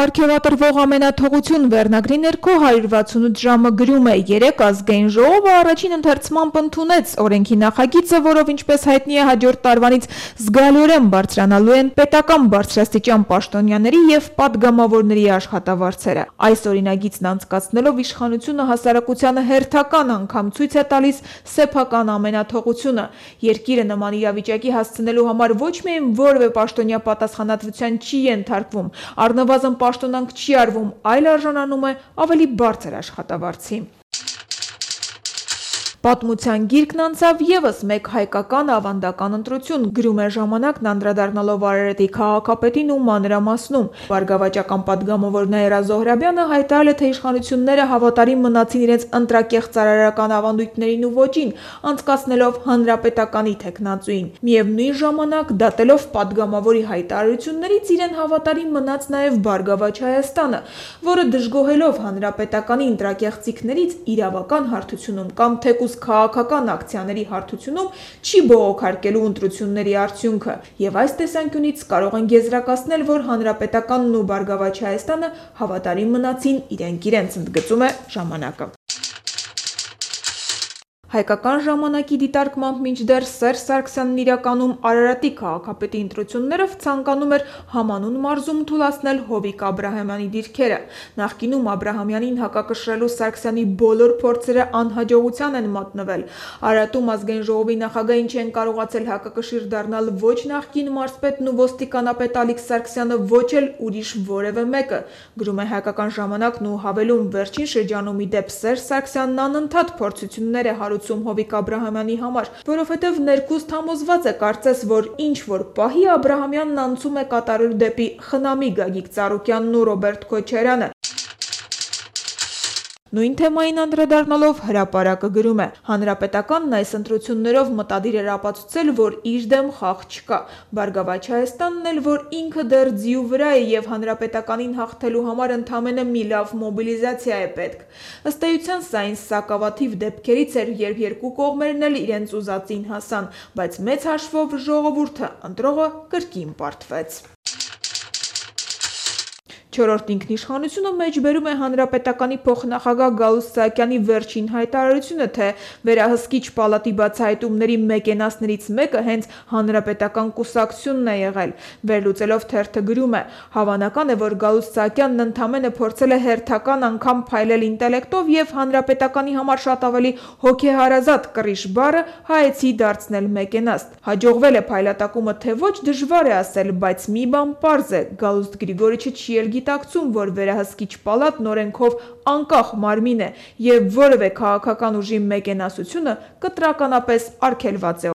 Պարգևատրվող ամենաթողություն վերնագրի ներքո 168 ժամը գրում է. երեկ ազգային ժողովը առաջին ընթերցմամբ ընդունեց օրենքի նախագիծը, որով ինչպես հայտնի է հաջորդ տարվանից զգալիորեն բարձրանալու են պետական բարձրաստիճան պաշտոնյաների և պատգամավորների աշխատավարձերը։ Այս օրինագիծն անցկացնելով իշխանությունը հասարակությանը հերթական անգամ ցույց է տալիս սեփական ամենաթողությունը։ Երկիրը նման իրավիճակի հասցնելու համար ոչ միայն որևէ պաշտոնյա պատասխանատվության չի ենթարկվում, առնվազն պաշտոնանք չի արվում, այլ արժանանում է ավելի բարձր աշխատավարձի։ Պատմության գիրկն անցավ ևս մեկ հայկական ավանդական ընտրություն, գրում է Ժամանակն անդրադառնալով Արարատի քաղաքապետին ու մանրամասնում։ Բարգավաճական պատգամավոր Նաիրա Զոհրաբյանը հայտարարել է, թե իշխանությունները հավատարիմ մնացին իրենց ընտրակեղծ արարական ավանդույթներին ու ոճին, անցկացնելով հանրապետականի թեկնածուին։ Միևնույն ժամանակ, դատելով պատգամավորի հայտարարություններից, իրեն հավատարիմ մնաց նաև Բարգավաճ Հայաստանը, որը դժգոհելով հանրապետականի ընտրակեղծիքներից իրավական հարթությունում կամ թեկուզ քաղաքական ակցիաների հարթությունում չի բողոքարկելու ընտրությունների արդյունքը, եւ այս տեսանկյունից կարող են եզրակացնել, որ հանրապետականն ու Բարգավաճ Հայաստանը հավատարիմ մնացին իրենք, ընդգծում է Ժամանակը։ Հայկական ժամանակի դիտարկմամբ մինչդեռ Սերժ Սարգսյանն իրականում Արարատի քաղաքապետի ընտրություններով ցանկանում էր համանուն մարզում թուլացնել Հովիկ Աբրահամյանի դիրքերը։ Նախկինում Աբրահամյանին հակակշռելու Սարգսյանի բոլոր փորձերը անհաջողության են մատնվել։ Արարատում ազգային ժողովի նախագահին չեն կարողացել հակակշիռ դառնալ ոչ նախկին մարզպետն ու ոստիկանապետ Ալիկ Սարգսյանը, ոչ էլ ուրիշ որևէ մեկը, գրում է Հայկական ժամանակն ու հավելում, վերջին շրջանում ի դեպ Սերժ Սարգսյանն անընդհատ փորձություններ է հարուցում Հովիկ Աբրահամյանի համար, որովհետև ներքուստ համոզված է կարծես, որ ինչ որ պահի Աբրահամյանն անցում է կատարել դեպի խնամի Գագիկ Ծառուկյանն ու Ռոբերտ Քոչարյանը։ Նույն թեմային անդրադառնալով Հրապարակը գրում է. հանրապետականն այս ընտրություններով մտադիր էր ապացուցել, որ իր դեմ խաղ չկա։ Բարգավաճ Հայաստանն էլ, որ ինքը դեռ ձիու վրա է եւ հանրապետականին հաղթելու համար ընդամենը մի լավ մոբիլիզացիա է պետք։ Ըստ էության սա այն սակավաթիվ դեպքերից էր, երբ երկու կողմերն էլ իրենց ուզածին հասան, բայց մեծ հաշվով ժողովուրդը, ընտրողը կրկին պարտվեց։ Չորրորդ ինքնիշխանությունը մեջբերում է հանրապետականի փոխնախագահ Գալուստ Սահակյանի վերջին հայտարարությունը, թե վերահսկիչ պալատի բացահայտումների մեկենասներից մեկը հենց հանրապետական կուսակցությունն է եղել։ Վերլուծելով թերթը գրում է. հավանական է, որ Գալուստ Սահակյանն ընդամենը փորձել է հերթական անգամ փայլել ինտելեկտով եւ հանրապետականի համար շատ ավելի հոգեհարազատ կռիչ բառը հայեցի դարձնել մեկենաստ։ Հաջողվել է փայլատակումը թե ոչ դժվար է ասել, բայց մի բան պարզ է, Գալուստ Գրիգորիչը չի էլ գիտակցում, որ վերահսկիչ պալատն օրենքով անկախ մարմին է եւ որևէ քաղաքական ուժի մեկենասությունը կտրականապես արգելված է